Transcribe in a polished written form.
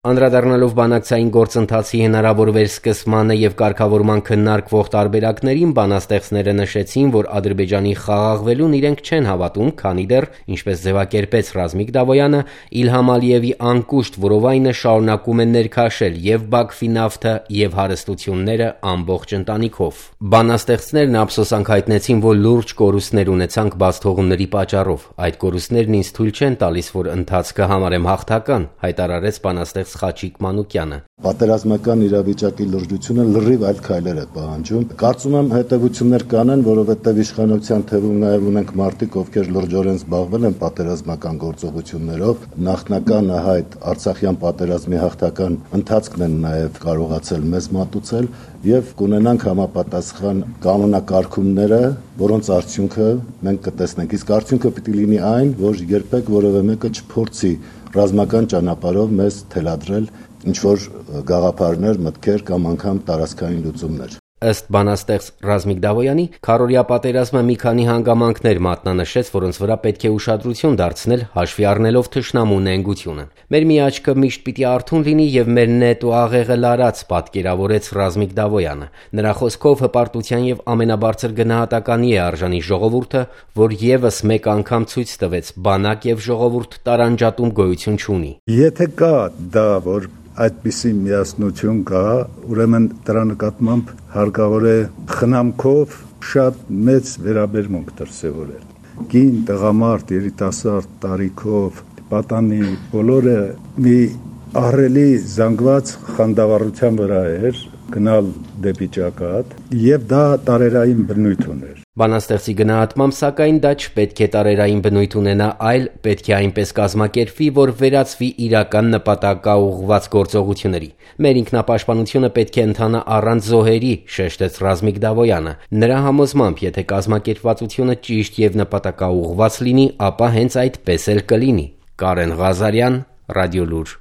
Անդրադառնալով բանակցային գործընթացի հնարավոր վերսկսմանը և կարգավորման քննարկվող տարբերակներին, բանաստեղծները նշեցին, որ Ադրբեջանի խաղաղվելուն իրենք չեն հավատում, քանի դեռ, ինչպես ձևակերպեց Ռազմիկ Դավոյանը, Իլհամ Ալիևի անկուշտ որովայնը շարունակում է ներքաշել և Բաքվի նավթը, և հարստությունները ամբողջ ընտանիքով։ Բանաստեղծներն ափսոսանք հայտնեցին, որ լուրջ կորուստներ ունեցանք բացթողումների պատճառով։ Այդ կորուստներն ինձ թույլ չեն տալիս, որ ընթացքը համարեմ հաղթական, հայտարարեց բանաստեղծ Խաչիկ Մանուկյանը։ Պատերազմական իրավիճակի լրջությունը լրիվ այլ քայլեր է պահանջում։ Կարծում եմ հետևություններ կանեն, որովհետև իշխանության թվում նաև ունենք մարդիկ, ովքեր լրջորեն զբաղվել են պատերազմական գործողություններով, նախնական այդ Արցախյան պատերազմի հաղթական ընթացքն են նաև կարողացել մեզ մատուցել եւ կունենանք համապատասխան կանոնակարգումները, որոնց արդյունքը մենք կտեսնենք։ Իսկ արդյունքը պիտի լինի այն, որ երբեք որևէ մեկը չփորձի ռազմական ճանապարհով մեզ թելադրել ինչ-որ գաղափարներ, մտքեր կամ անգամ տարածքային լուծումներ։ Ըստ բանաստեղծ Ռազմիկ Դավոյանի, քառօրյա պատերազմը մի քանի հանգամանքներ մատնանշեց, որոնց վրա պետք է ուշադրություն դարձնել, հաշվի առնելով թշնամու նենգությունը։ Մեր մի աչքը միշտ պիտի արթուն լինի եւ մեր նետ ու աղեղը լարած, պատկերավորեց Ռազմիկ Դավոյանը։ Նրա խոսքով հպարտության եւ ամենաբարձր գնահատականի է արժանի ժողովուրդը, որ եւս մեկ անգամ ցույց տվեց՝ բանակ եւ ժողովուրդ տարանջատում գոյություն չունի։ Եթե կա դա, որ այդպիսի միասնություն կա, ուրեմն դրա նկատմամբ հարկավոր է խնամքով շատ մեծ վերաբերմունք դրսևորել։ Կին, տղամարդ, երիտասարդ տարիքով, պատանի բոլորը մի ահռելի զանգված խանդավառության վրա էր գնալ դեպի ճակատ, եւ դա տարերային բնույթ ուներ։ Բանաստեղծի գնահատմամբ, սակայն դա չպետք է տարերային բնույթ ունենա, այլ պետք է այնպես կազմակերպվի, որ վերածվի իրական նպատակաուղղված գործողությունների։ Մեր ինքնապաշտպանությունը պետք է ընթանա առանց զոհերի, շեշտեց Ռազմիկ Դավոյանը։ Նրա համոզմամբ, եթե կազմակերպվածությունը ճիշտ եւ նպատակաուղղված լինի, ապա հենց այդպես էլ կլինի։ Կարեն Ղազարյան, Ռադիոլուր։